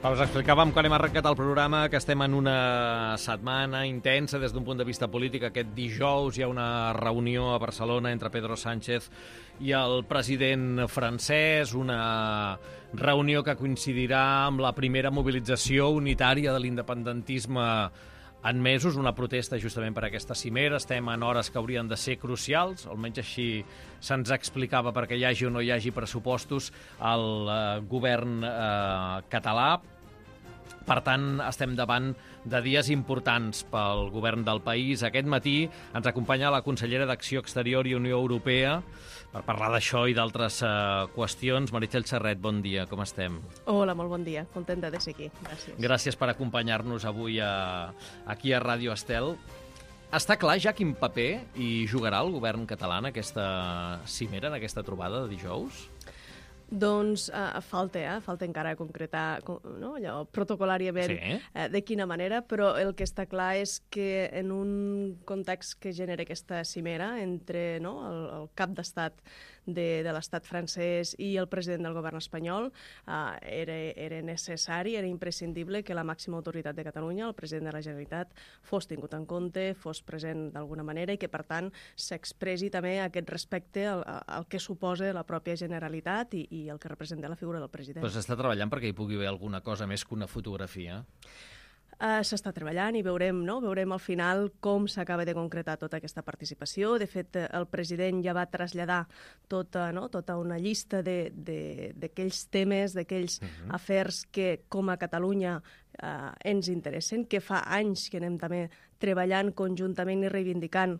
Us explicàvem quan hem arrencat el programa que estem en una setmana intensa des d'un punt de vista polític. Aquest dijous hi ha una reunió a Barcelona entre Pedro Sánchez i el president francès, una reunió que coincidirà amb la primera mobilització unitària de l'independentisme en mesos, una protesta justament per aquesta cimera. Estem en hores que haurien de ser crucials, almenys així se'ns explicava, perquè hi hagi o no hi hagi pressupostos al govern català. Per tant, estem davant de dies importants pel govern del país. Aquest matí ens acompanya la consellera d'Acció Exterior i Unió Europea per parlar d'això i d'altres qüestions. Meritxell Serret, bon dia, com estem? Hola, molt bon dia. Contenta de ser aquí. Gràcies. Gràcies per acompanyar-nos avui aquí a Ràdio Estel. Està clar ja quin paper hi jugarà el govern català en aquesta cimera, en aquesta trobada de dijous? Doncs falta encara concretar, no, allò, protocolàriament de quina manera, però el que està clar és que en un context que genera aquesta cimera entre el cap d'estat de l'estat francès i el president del govern espanyol, era necessari, era imprescindible que la màxima autoritat de Catalunya, el president de la Generalitat, fos tingut en compte, fos present d'alguna manera i que, per tant, s'expressi també aquest respecte al que suposa la pròpia Generalitat i el que representa la figura del president. Però s'està treballant perquè hi pugui haver alguna cosa més que una fotografia? S'està treballant i veurem al final com s'acaba de concretar tota aquesta participació. De fet, el president ja va traslladar tota una llista d'aquells temes, d'aquells afers que com a Catalunya ens interessen, que fa anys que anem també treballant conjuntament i reivindicant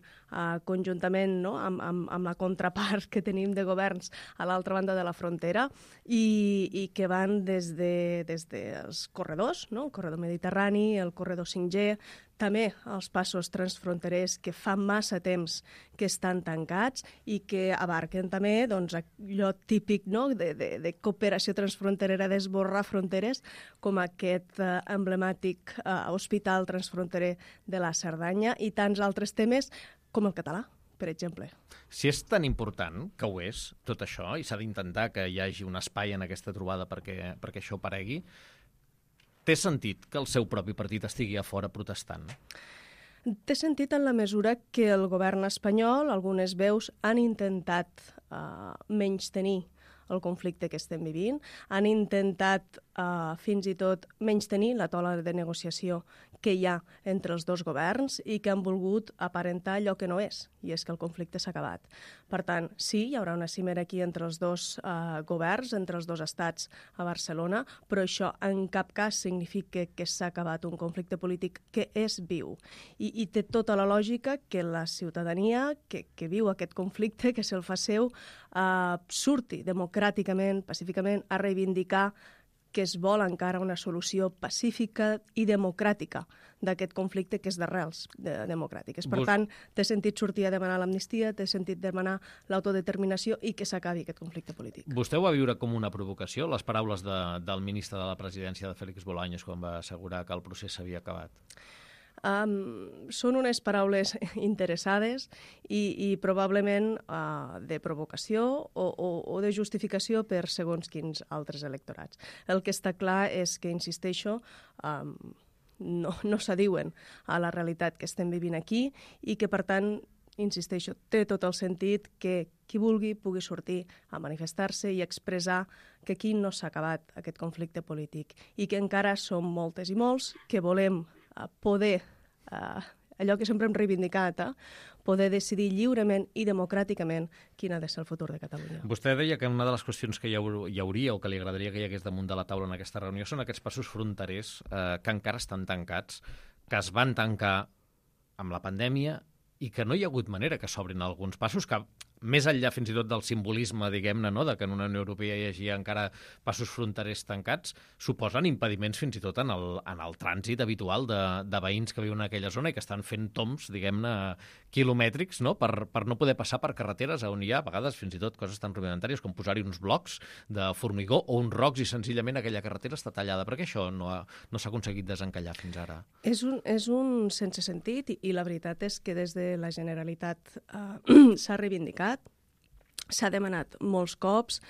conjuntament amb la contrapart que tenim de governs a l'altra banda de la frontera i que van des dels corredors, el corredor mediterrani, el corredor 5G, també els passos transfronterers que fa massa temps que estan tancats i que abarquen també allò típic de cooperació transfronterera, d'esborrar fronteres, com aquest emblemàtic hospital transfronterer de la Cerdanya i tants altres temes com el català, per exemple. Si és tan important, que ho és, tot això, i s'ha d'intentar que hi hagi un espai en aquesta trobada perquè això aparegui, té sentit que el seu propi partit estigui a fora protestant? Té sentit en la mesura que el govern espanyol, algunes veus, han intentat menystenir el conflicte que estem vivint, han intentat fins i tot menystenir la taula de negociació que hi ha entre els dos governs i que han volgut aparentar allò que no és, i és que el conflicte s'ha acabat. Per tant, sí, hi haurà una cimera aquí entre els dos governs, entre els dos estats a Barcelona, però això en cap cas significa que s'ha acabat un conflicte polític que és viu. I té tota la lògica que la ciutadania que viu aquest conflicte, que se'l fa seu, surti democràticament, pacíficament, a reivindicar que es vol encara una solució pacífica i democràtica d'aquest conflicte que és d'arrels democràtiques. Per tant, té sentit sortir a demanar l'amnistia, té sentit demanar l'autodeterminació i que s'acabi aquest conflicte polític. Vostè ho va viure com una provocació, les paraules del ministre de la Presidència, de Félix Bolaños, quan va assegurar que el procés s'havia acabat? Són unes paraules interessades i probablement de provocació o de justificació per segons quins altres electorats. El que està clar és que, insisteixo, no s'adiuen a la realitat que estem vivint aquí i que, per tant, insisteixo, té tot el sentit que qui vulgui pugui sortir a manifestar-se i expressar que aquí no s'ha acabat aquest conflicte polític i que encara som moltes i molts que volem poder, allò que sempre hem reivindicat, poder decidir lliurement i democràticament quin ha de ser el futur de Catalunya. Vostè deia que una de les qüestions que hi hauria o que li agradaria que hi hagués damunt de la taula en aquesta reunió són aquests passos fronterers que encara estan tancats, que es van tancar amb la pandèmia i que no hi ha hagut manera que s'obrin alguns passos que, més enllà fins i tot del simbolisme, diguem-ne, de que en una Unió Europea hi hagi encara passos fronterers tancats, suposen impediments fins i tot en el trànsit habitual de veïns que viuen en aquella zona i que estan fent toms, diguem-ne, quilomètrics, per no poder passar per carreteres on hi ha, a vegades, fins i tot coses tan rudimentàries com posar-hi uns blocs de formigó o uns rocs i senzillament aquella carretera està tallada. Per què això no s'ha aconseguit desencallar fins ara? És un sense sentit i la veritat és que des de la Generalitat s'ha reivindicat, s'ha demanat molts cops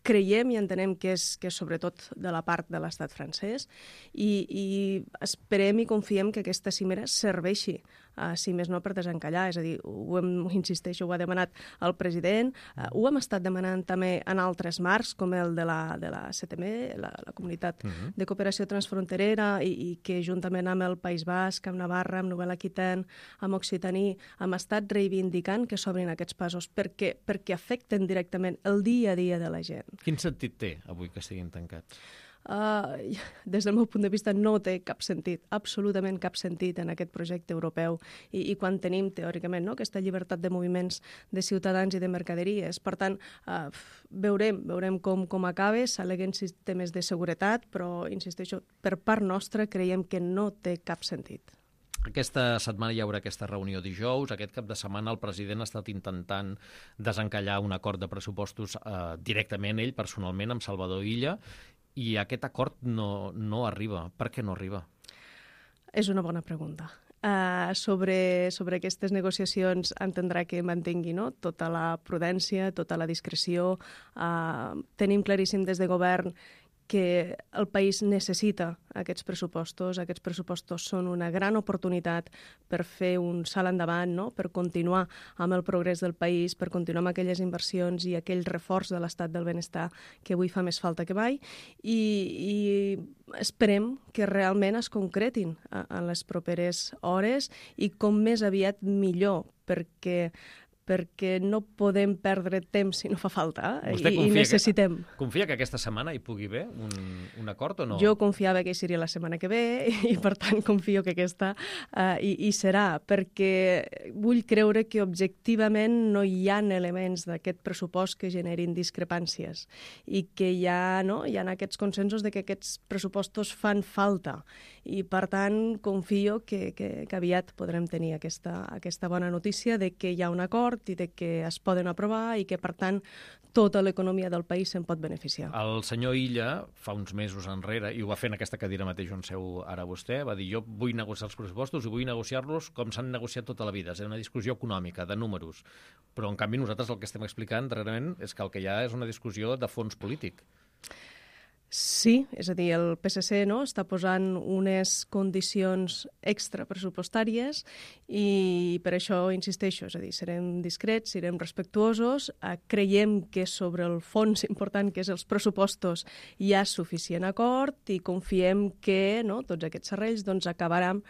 creiem i entenem que és sobretot de la part de l'estat francès i esperem i confiem que aquesta cimera serveixi, si més no per desencallar, és a dir, insisteixo, ho ha demanat el president, ho hem estat demanant també en altres marcs, com el de la CTM, la Comunitat de Cooperació Transfronterera, i que juntament amb el País Basc, amb Navarra, amb Nouvelle-Aquitaine, amb Occitaní, hem estat reivindicant que s'obrin aquests passos perquè afecten directament el dia a dia de la gent. Quin sentit té avui que estiguin tancats? Des del meu punt de vista no té cap sentit, absolutament cap sentit en aquest projecte europeu i quan tenim teòricament aquesta llibertat de moviments de ciutadans i de mercaderies. Per tant, veurem com acaba, s'al·leguen sistemes de seguretat, però insisteixo, per part nostra creiem que no té cap sentit. Aquesta setmana hi haurà aquesta reunió dijous. Aquest cap de setmana el president ha estat intentant desencallar un acord de pressupostos directament ell, personalment, amb Salvador Illa, i aquest acord no arriba. Per què no arriba? És una bona pregunta. Sobre aquestes negociacions entendrà que mantengui tota la prudència, tota la discreció. Tenim claríssim des de govern que el país necessita aquests pressupostos. Aquests pressupostos són una gran oportunitat per fer un salt endavant, per continuar amb el progrés del país, per continuar amb aquelles inversions i aquell reforç de l'estat del benestar que avui fa més falta que mai. I esperem que realment es concretin en les properes hores i com més aviat millor, perquè no podem perdre temps si no fa falta i necessitem. Confia que aquesta setmana hi pugui haver un acord o no? Jo confiava que hi seria la setmana que ve i per tant confio que aquesta hi serà, perquè vull creure que objectivament no hi ha elements d'aquest pressupost que generin discrepàncies i que hi ha aquests consensos de que aquests pressupostos fan falta i per tant confio que aviat podrem tenir aquesta bona notícia de que hi ha un acord i de que es poden aprovar i que, per tant, tota l'economia del país se'n pot beneficiar. El senyor Illa, fa uns mesos enrere, i ho va fer en aquesta cadira mateix on seu ara vostè, va dir jo vull negociar els pressupostos i vull negociar-los com s'han negociat tota la vida. És una discussió econòmica, de números. Però, en canvi, nosaltres el que estem explicant darrerament és que el que hi ha és una discussió de fons polític. Sí, és a dir, el PSC està posant unes condicions extrapressupostàries i per això insisteixo, és a dir, serem discrets, serem respectuosos, creiem que sobre el fons important que és els pressupostos hi ha suficient acord i confiem que tots aquests serrells acabaran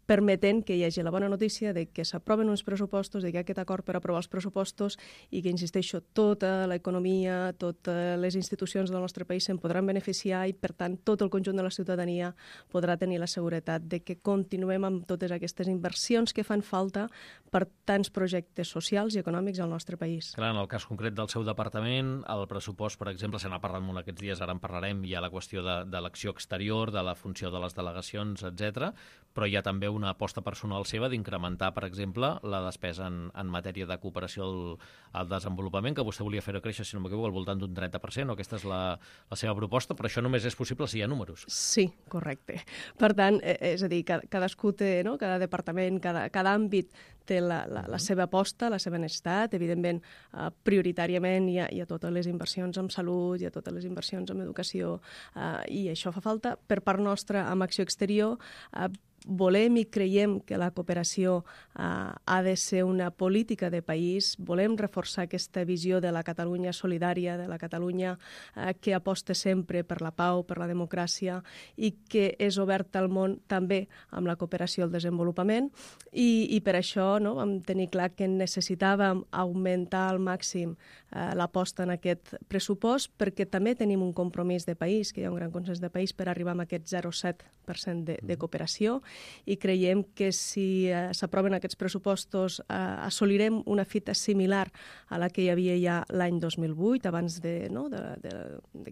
permetent que hi hagi la bona notícia de que s'aproven uns pressupostos, de que hi ha aquest acord per aprovar els pressupostos i que, insisteixo, tota l'economia, totes les institucions del nostre país se'n podran beneficiar i, per tant, tot el conjunt de la ciutadania podrà tenir la seguretat de que continuem amb totes aquestes inversions que fan falta per tants projectes socials i econòmics al nostre país. Clar, en el cas concret del seu departament, el pressupost, per exemple, se n'ha parlat molt aquests dies, ara en parlarem, hi ha la qüestió de l'acció exterior, de la funció de les delegacions, etc. Però hi ha també una aposta personal seva d'incrementar, per exemple, la despesa en matèria de cooperació al desenvolupament, que vostè volia fer créixer, si no m'equivoco, al voltant d'un 30%, o aquesta és la seva proposta, però això només és possible si hi ha números. Sí, correcte. Per tant, és a dir, cadascú té, cada departament, cada àmbit té la seva aposta, la seva necessitat. Evidentment, prioritàriament hi ha totes les inversions en salut, hi ha totes les inversions en educació, i això fa falta. Per part nostra, amb acció exterior, volem i creiem que la cooperació ha de ser una política de país. Volem reforçar aquesta visió de la Catalunya solidària, de la Catalunya que aposta sempre per la pau, per la democràcia i que és oberta al món també amb la cooperació al desenvolupament. I per això vam tenir clar que necessitàvem augmentar al màxim l'aposta en aquest pressupost perquè també tenim un compromís de país, que hi ha un gran consens de país per arribar a aquest 0,7% de cooperació i creiem que si s'aproven aquests pressupostos assolirem una fita similar a la que hi havia ja l'any 2008, abans que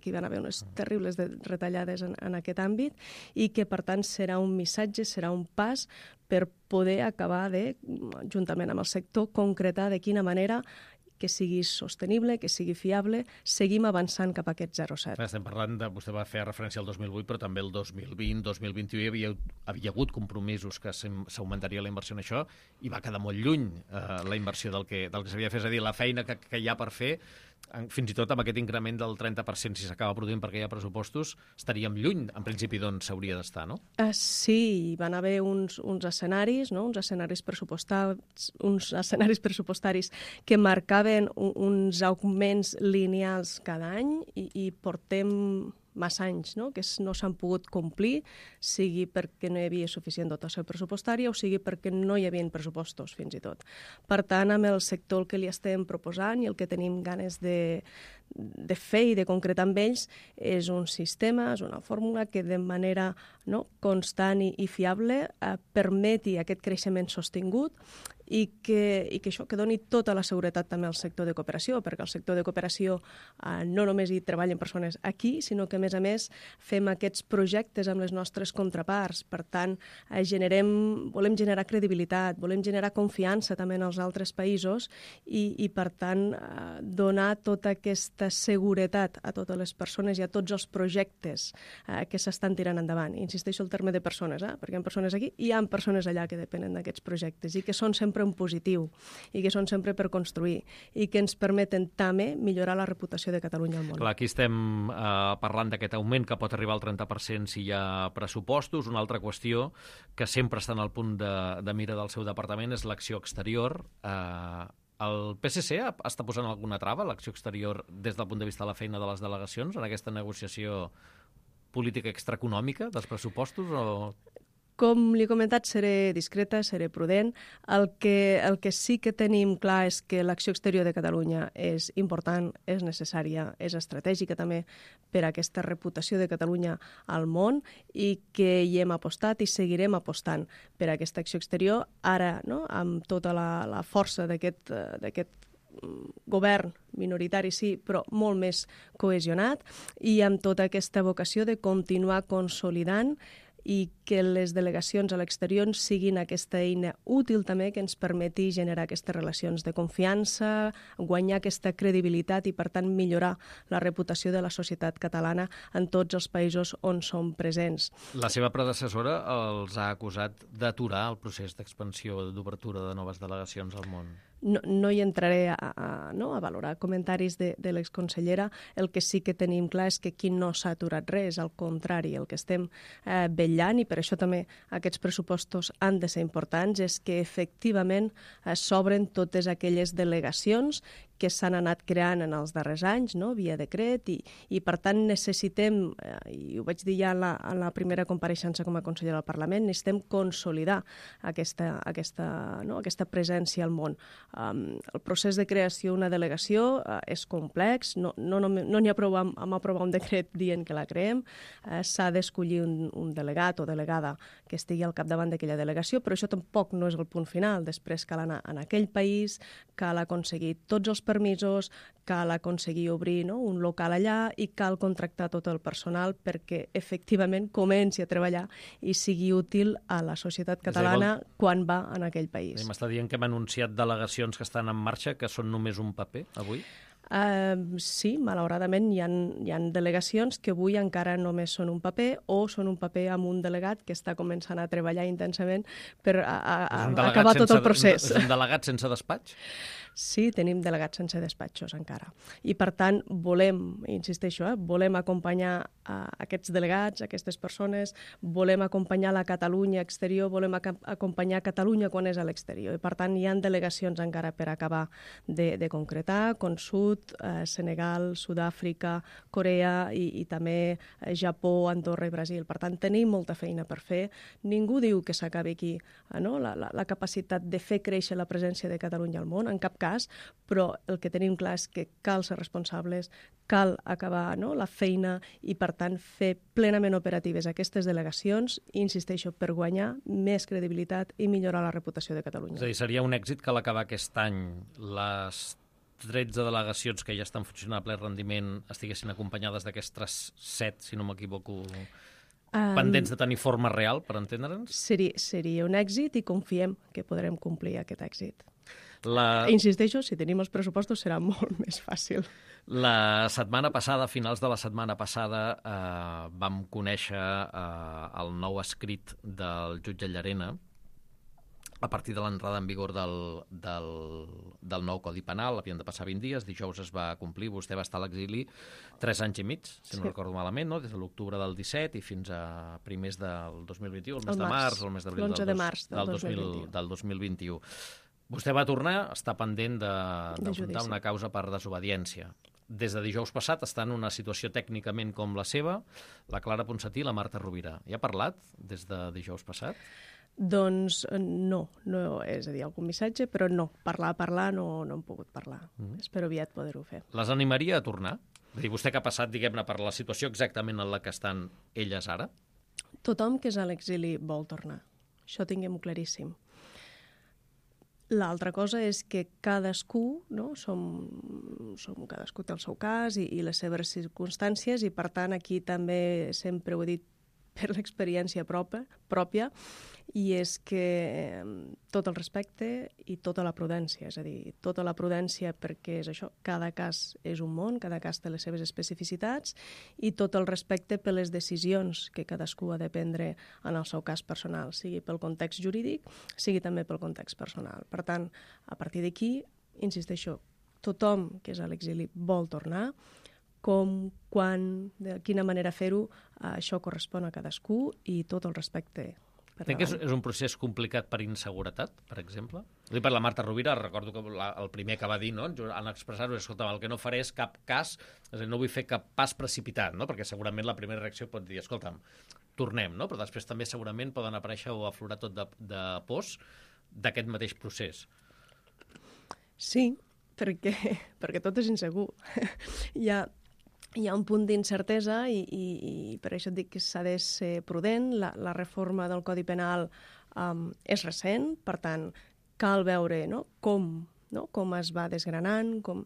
hi van haver unes terribles retallades en aquest àmbit i que, per tant, serà un missatge, serà un pas per poder acabar de, juntament amb el sector, concretar de quina manera que sigui sostenible, que sigui fiable, seguim avançant cap a aquest 0,7. Estem parlant vostè va fer referència al 2008, però també el 2020, 2021 havia hagut compromisos que s'augmentaria la inversió en això i va quedar molt lluny la inversió del que s'havia de fer. És a dir, la feina que hi ha per fer fins i tot amb aquest increment del 30%, si s'acaba produint perquè hi ha pressupostos, estaríem lluny, en principi, d'on s'hauria d'estar, no? Sí, van haver uns escenaris, no? uns escenaris pressupostaris que marcaven uns augments lineals cada any i portem massa anys, no? Que no s'han pogut complir, sigui perquè no hi havia suficient dotació pressupostària o sigui perquè no hi havia pressupostos, fins i tot. Per tant, amb el sector el que li estem proposant i el que tenim ganes de fer i de concretar amb ells és un sistema, és una fórmula que de manera constant i fiable permeti aquest creixement sostingut i que doni tota la seguretat també al sector de cooperació, perquè el sector de cooperació no només hi treballen persones aquí, sinó que, a més, fem aquests projectes amb les nostres contraparts. Per tant, volem generar credibilitat, volem generar confiança també en els altres països i per tant, donar tota aquesta seguretat a totes les persones i a tots els projectes que s'estan tirant endavant. Insisteixo el terme de persones, perquè hi ha persones aquí i hi ha persones allà que depenen d'aquests projectes i que són sempre en positiu i que són sempre per construir i que ens permeten també millorar la reputació de Catalunya al món. Clar, aquí estem parlant d'aquest augment que pot arribar al 30% si hi ha pressupostos. Una altra qüestió que sempre està en el punt de mira del seu departament és l'acció exterior. El PSC està posant alguna trava a l'acció exterior des del punt de vista de la feina de les delegacions en aquesta negociació política extraeconòmica dels pressupostos o... Com li he comentat, seré discreta, seré prudent. El que sí que tenim clar és que l'acció exterior de Catalunya és important, és necessària, és estratègica també per a aquesta reputació de Catalunya al món i que hi hem apostat i seguirem apostant per a aquesta acció exterior. Ara, amb tota la força d'aquest govern minoritari, sí, però molt més cohesionat i amb tota aquesta vocació de continuar consolidant i que les delegacions a l'exterior siguin aquesta eina útil també que ens permeti generar aquestes relacions de confiança, guanyar aquesta credibilitat i, per tant, millorar la reputació de la societat catalana en tots els països on som presents. La seva predecessora els ha acusat d'aturar el procés d'expansió, d'obertura de noves delegacions al món. No hi entraré a valorar comentaris de l'exconsellera. El que sí que tenim clar és que aquí no s'ha aturat res, al contrari, el que estem vetllant, i per això també aquests pressupostos han de ser importants, és que efectivament s'obren totes aquelles delegacions que s'han anat creant en els darrers anys, via decret, i per tant necessitem, i ho vaig dir ja en la primera compareixença com a consellera al Parlament, necessitem consolidar aquesta presència al món. El procés de creació d'una delegació és complex, no n'hi ha prou amb aprovar un decret dient que la creem, s'ha d'escollir un delegat o delegada que estigui al capdavant d'aquella delegació, però això tampoc no és el punt final. Després cal anar en aquell país, cal aconseguir tots els permisos, cal aconseguir obrir un local allà i cal contractar tot el personal perquè efectivament comenci a treballar i sigui útil a la societat catalana quan va en aquell país. M'està dient que hem anunciat delegacions que estan en marxa, que són només un paper avui? Sí, malauradament hi ha delegacions que avui encara només són un paper o són un paper amb un delegat que està començant a treballar intensament per acabar tot el procés. És un delegat sense despatx? Sí, tenim delegats sense despatxos encara. I per tant volem acompanyar aquests delegats, aquestes persones, volem acompanyar la Catalunya exterior, volem acompanyar Catalunya quan és a l'exterior. I per tant hi ha delegacions encara per acabar de concretar, com Sud, Senegal, Sud-àfrica, Corea i també Japó, Andorra i Brasil. Per tant, tenim molta feina per fer. Ningú diu que s'acabi aquí la capacitat de fer créixer la presència de Catalunya al món, en cap cas, però el que tenim clar és que cal ser responsables, cal acabar la feina i, per tant, fer plenament operatives aquestes delegacions, insisteixo, per guanyar més credibilitat i millorar la reputació de Catalunya. És a dir, seria un èxit que a l'acabar aquest any les 13 delegacions que ja estan funcionant a ple rendiment estiguessin acompanyades d'aquestes 7, si no m'equivoco, pendents de tenir forma real, per entendre'ns? Seria un èxit i confiem que podrem complir aquest èxit. Insisteixo, si tenim els pressupostos serà molt més fàcil. La setmana passada, a finals de la setmana passada, vam conèixer el nou escrit del jutge Llarena a partir de l'entrada en vigor del nou Codi Penal. Havien de passar 20 dies, dijous es va complir, vostè va estar a l'exili 3 anys i mig, si no recordo malament, no? Des de l'octubre del 17 i fins a primers del 2021, el mes de març, el mes d'abril del 2021. Vostè va tornar, està pendent d'afrontar una causa per desobediència. Des de dijous passat està en una situació tècnicament com la seva, la Clara Ponsatí i la Marta Rovira. Hi ha parlat des de dijous passat? Doncs no, és a dir, algun missatge, però no, parlar no hem pogut parlar. Espero aviat poder-ho fer. Les animaria a tornar? És a dir, vostè que ha passat, diguem-ne, per la situació exactament en la que estan elles ara? Tothom que és a l'exili vol tornar. Això tinguem-ho claríssim. L'altra cosa és que cadascú, no? Cadascú té el seu cas i les seves circumstàncies i, per tant, aquí també sempre ho he dit per l'experiència pròpia, i és que tot el respecte i tota la prudència, és a dir, tota la prudència perquè és això, cada cas és un món, cada cas té les seves especificitats, i tot el respecte per les decisions que cadascú ha de prendre en el seu cas personal, sigui pel context jurídic, sigui també pel context personal. Per tant, a partir d'aquí, insisteixo, tothom que és a l'exili vol tornar, com, quan, de quina manera fer-ho, això correspon a cadascú i tot el respecte. Crec que és un procés complicat per inseguretat, per exemple? Per la Marta Rovira, recordo que el primer que va dir, no, en expressar-ho, escolta, el que no faré és cap cas, és a dir, no vull fer cap pas precipitat, no? Perquè segurament la primera reacció pot dir, escolta'm, tornem, no? Però després també segurament poden aparèixer o aflorar tot de pors d'aquest mateix procés. Sí, perquè tot és insegur. Hi ha un punt d'incertesa i per això et dic que s'ha de ser prudent. La reforma del Codi Penal és recent, per tant, cal veure com es va desgranant, com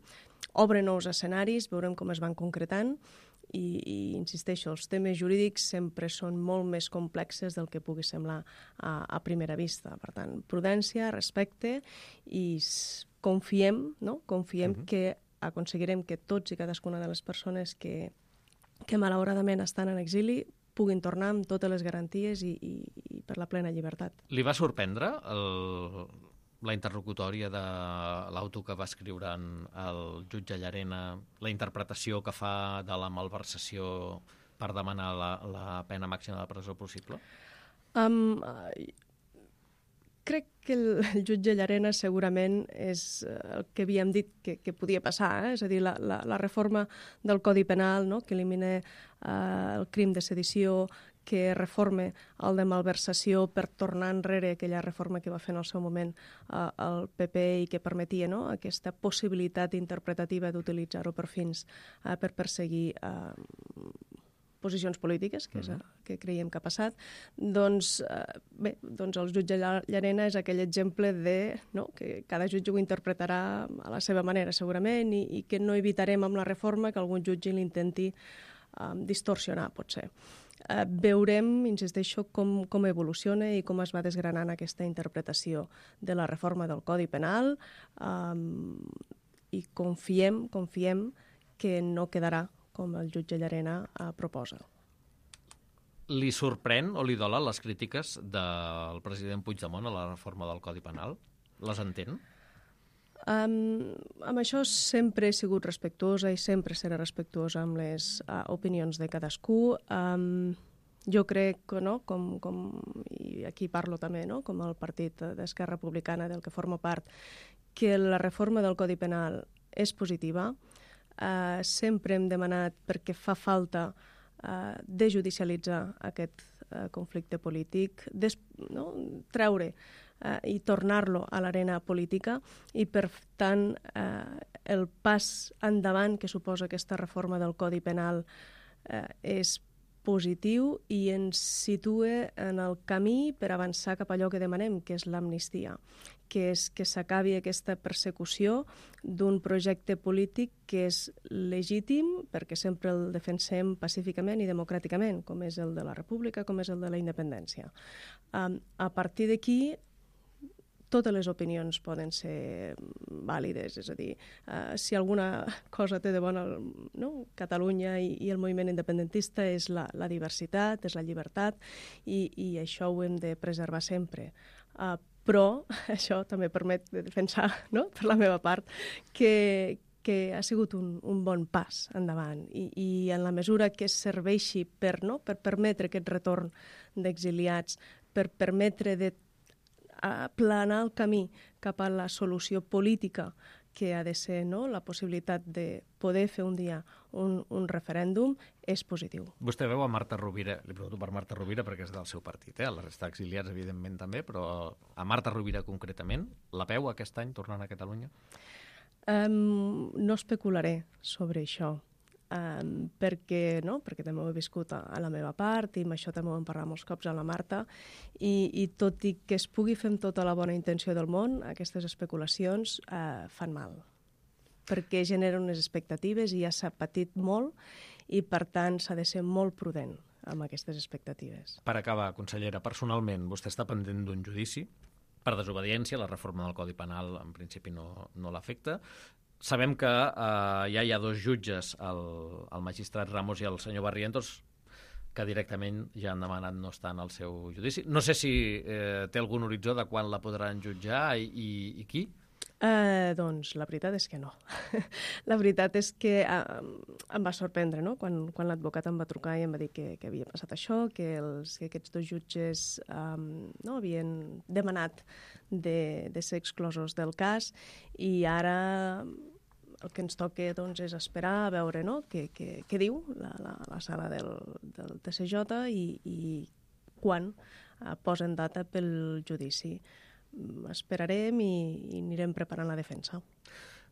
obre nous escenaris, veurem com es van concretant i insisteixo, els temes jurídics sempre són molt més complexes del que pugui semblar a primera vista. Per tant, prudència, respecte i confiem que aconseguirem que tots i cadascuna de les persones que malauradament estan en exili puguin tornar amb totes les garanties i per la plena llibertat. Li va sorprendre la interlocutòria de l'auto que va escriure el jutge Llarena, la interpretació que fa de la malversació per demanar la pena màxima de presó possible? Crec que el jutge Llarena segurament és el que havíem dit que podia passar, és a dir, la reforma del Codi Penal, no?, que elimina el crim de sedició, que reforma el de malversació per tornar enrere aquella reforma que va fer en el seu moment el PP i que permetia, no?, aquesta possibilitat interpretativa d'utilitzar-ho per fins per perseguir posicions polítiques, que és el que creiem que ha passat, doncs el jutge Llarena és aquell exemple que cada jutge ho interpretarà a la seva manera, segurament, i que no evitarem amb la reforma que algun jutge l'intenti distorsionar, potser. Veurem, insisteixo, com evoluciona i com es va desgranant aquesta interpretació de la reforma del Codi Penal i confiem que no quedarà com el jutge Llarena proposa. Li sorprèn o li dolen les crítiques del president Puigdemont a la reforma del Codi Penal? Les entén? Amb això sempre he sigut respectuosa i sempre seré respectuosa amb les opinions de cadascú. Jo crec que, i aquí parlo també, com el partit d'Esquerra Republicana del que formo part, que la reforma del Codi Penal és positiva. Sempre hem demanat, perquè fa falta desjudicialitzar aquest conflicte polític, treure i tornar-lo a l'arena política i, per tant, el pas endavant que suposa aquesta reforma del Codi Penal és positiu i ens situa en el camí per avançar cap a allò que demanem, que és l'amnistia, que és que s'acabi aquesta persecució d'un projecte polític que és legítim perquè sempre el defensem pacíficament i democràticament, com és el de la República, com és el de la independència. A partir d'aquí, totes les opinions poden ser vàlides, és a dir, si alguna cosa té de bona Catalunya i el moviment independentista és la diversitat, és la llibertat, i això ho hem de preservar sempre. però això també permet de defensar, no?, per la meva part, que ha sigut un bon pas endavant i en la mesura que serveixi per permetre aquest retorn d'exiliats, per permetre de aplanar el camí cap a la solució política que ha de ser la possibilitat de poder fer un dia un referèndum, és positiu. Vostè veu a Marta Rovira, li pregunto per Marta Rovira perquè és del seu partit, la resta d'exiliats evidentment també, però a Marta Rovira concretament, la veu aquest any tornant a Catalunya? No especularé sobre això, perquè també ho he viscut a la meva part i amb això també ho hem parlat molts cops a la Marta i tot i que es pugui fer amb tota la bona intenció del món, aquestes especulacions fan mal, perquè generen unes expectatives i ja s'ha patit molt i per tant s'ha de ser molt prudent amb aquestes expectatives. Per acabar, consellera, personalment vostè està pendent d'un judici per desobediència, la reforma del Codi Penal en principi no l'afecta. Sabem que ja hi ha dos jutges, el magistrat Ramos i el senyor Barrientos, que directament ja han demanat no estar en el seu judici. No sé si té algun horitzó de quan la podran jutjar i qui? Doncs la veritat és que no. La veritat és que em va sorprendre, no?, quan l'advocat em va trucar i em va dir que havia passat això, que aquests dos jutges havien demanat de ser exclosos del cas i ara el que ens toca és esperar a veure què diu la sala del TSJ i quan posen data pel judici. Esperarem i anirem preparant la defensa.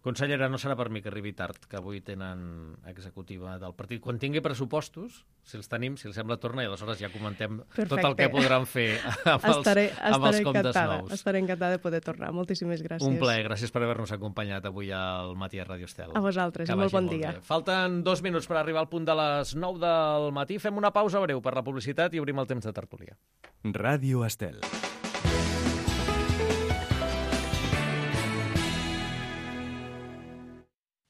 Consellera, no serà per mi que arribi tard, que avui tenen executiva del partit. Quan tingui pressupostos, si els tenim, si els sembla, torna i aleshores ja comentem tot el que podran fer amb els comptes nous. Estaré encantada de poder tornar. Moltíssimes gràcies. Un plaer, gràcies per haver-nos acompanyat avui al Matí a Ràdio Estel. A vosaltres, molt bon dia. Falten 2 minuts per arribar al punt de les 9 del matí. Fem una pausa breu per la publicitat i obrim el temps de tertúlia. Ràdio Estel.